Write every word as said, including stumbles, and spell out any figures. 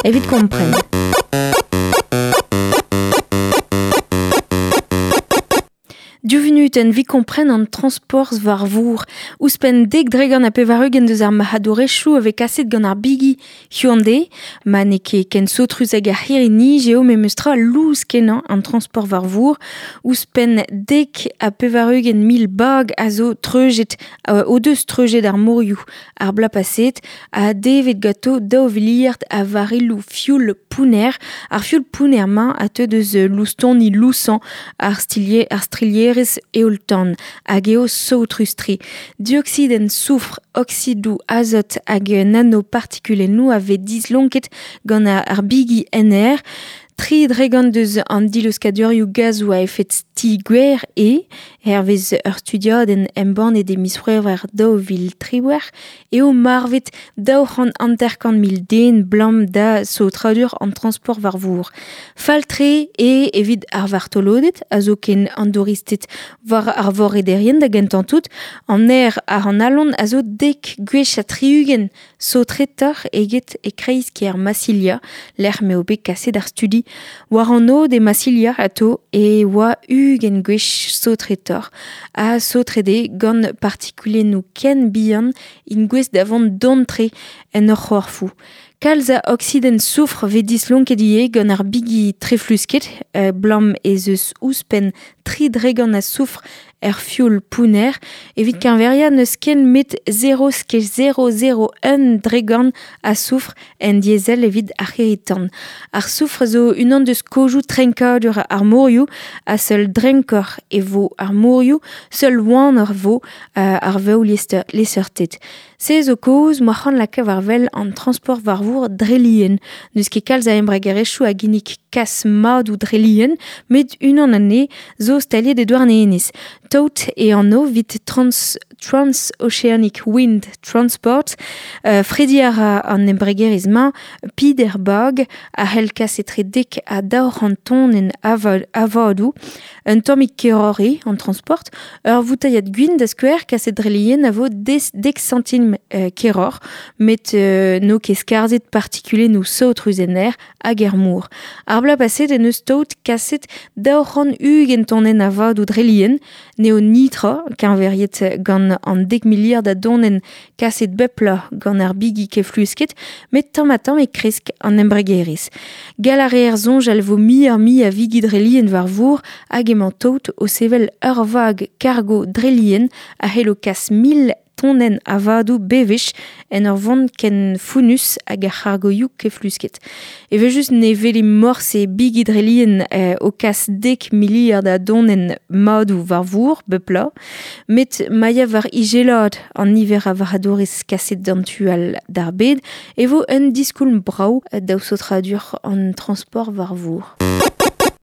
Evit kompren. Div vunutenn 'vit kompren an transporz war vor. Ouzhpenn dek dregont ha pevar-ugent deus ar marc'hadourezhioù a vez kaset gant ar bigi Hyundai. Ma n'eo ket ken saotrus hag ar c'hirri-nij eo memes tra lous kenañ an transport war vor. Ouzhpenn dek ha pevar-ugent mil bag a zo treujet, euh, o deus treujet ar morioù ar bloaz paset ha devet ganto daou viliard a varilloù fioul pounner. Ar fioul pounner-mañ a teu deus loustoni lousañ ar stilier, ar strilherezh eoul-tan hag eo saotrus-tre. Dioksidenn soufr, oksidoù azot hag nanopartikulennoù a vez dislonket gant ar bigi en aer. Tri dregont deus an diluskadurioù gazoù a efed ti-gwer e, hervez ur studiadenn embannet e miz C'hwevrer daou vil triwec'h, eo marvet daou c'hant hanter-kant mil den blam da saotradur an transport war vor. Fall-tre eo evit ar vartoloded, a zo ken an douristed war ar vorederien da gentañ tout, an aer ar an alon a zo dek gwech ha tri-ugent saotretoc'h eget e kreiz-kêr Massilia, lec'h m'eo bet kaset ar studi. War an aod e Massilia ato e oa ugent gwech saotretoc'h ha saotret eo gant partikulennoù ken bihan int gouest da vont don-tre en ur c'horfoù. Kalz a oksidenn soufr vez dislonket ivez gant ar bigi treflusket, euh, blam ez eus ouzhpenn tri dregont a soufr er fioul pounner, evit keñveriañ n'eus ken met zero skej zero zero un dregont a soufr en diesel evit ar c'hirri-tan. Ar soufr zo unan deus kozioù trenkadur ar morioù ha seul drenkoc'h e vo ar morioù, seul oanoc'h vo euh, ar vev liesseurted. Se zo kaoz m'oa c'hoant lakaat war wel an transport war vor dre lien. N'eus ket kalz a embregerezhioù a ginnig kas madoù dre lien, met unan anezhe zo staliet e Douarnenez. Tout e anv evit trans, Trans-Oceanic Wind Transport. Euh, frediñ a ra an embregerezh-mañ peder bag a c'hell kas etre dek ha daou c'hant tonenn avadoù. Un tammig keroc'h eo an transport. Ur voutailhad gwin da skouer kaset dre lien a vo des, dek santim euh, keroc'h, met euh, n'eo ket skarzhet partikulennoù saotrus en aer hag er mor. Ar bloaz paset en eus tout kaset daou c'hant ugent tonenn avadoù dre lien, n'eo nitra keñveriet gant an dek miliard a donenn kaset bep bloaz gant ar bigi keflusket, met tamm-ha-tamm e kresk an embregerezh. Gall a reer soñjal vo muioc'h-mui a vigi dre lien war vor hag emañ tout o sevel ur vag kargo dre lien a c'hello kas mil tonenn avadoù bewech en ur vont ken founnus hag ar c'hargoioù keflusket. Evel-just ne welimp morse bigi dre lien euh, o kas dek miliard a donenn madoù war vor bep bloaz, met ma ya war izelad an niver a varc'hadourezh kaset d'an tu all d'ar bed e vo un diskoulm brav daou saotradur an transport war vor.